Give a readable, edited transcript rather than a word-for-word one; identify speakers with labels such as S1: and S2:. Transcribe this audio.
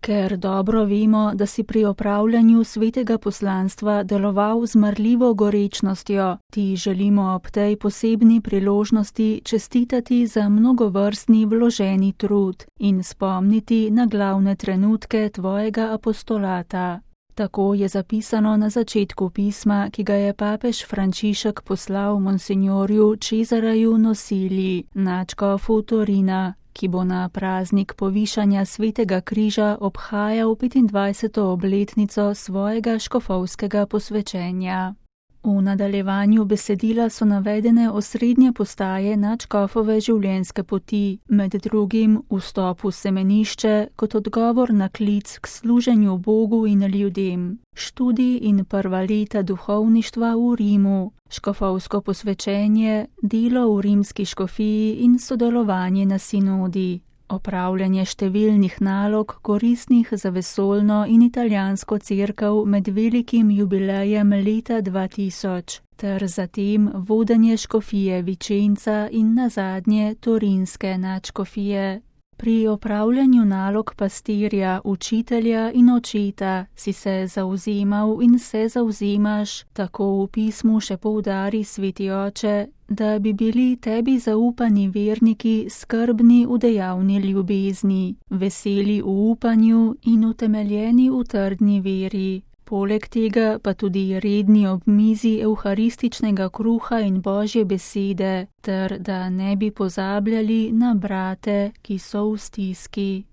S1: Ker dobro vemo, da si pri opravljanju svetega poslanstva deloval z marljivo gorečnostjo, ti želimo ob tej posebni priložnosti čestitati za mnogovrstni vloženi trud in spomniti na glavne trenutke tvojega apostolata. Tako je zapisano na začetku pisma, ki ga je papež Frančišek poslal monsinjorju Cesaraju Nosili, nadškofu Torina, ki bo na praznik povišanja svetega križa obhajal 25. obletnico svojega škofovskega posvečenja. V nadaljevanju besedila so navedene osrednje postaje nadškofove življenjske poti, med drugim vstop v semenišče kot odgovor na klic k služenju Bogu in ljudem, študij in prva leta duhovništva v Rimu, škofovsko posvečenje, delo v rimski škofiji in sodelovanje na sinodi, opravljanje številnih nalog koristnih za vesoljno in italijansko cerkev med velikim jubilejem leta 2000, ter zatem vodenje škofije Vicenza in nazadnje torinske nadškofije. Pri opravljanju nalog pastirja, učitelja in očeta si se zavzemal in se zavzemaš, tako v pismu še poudari sveti oče, da bi bili tebi zaupani verniki skrbni v dejavni ljubezni, veseli v upanju in utemeljeni v trdni veri. Poleg tega pa tudi redni ob mizi evharističnega kruha in Božje besede, ter da ne bi pozabljali na brate, ki so v stiski.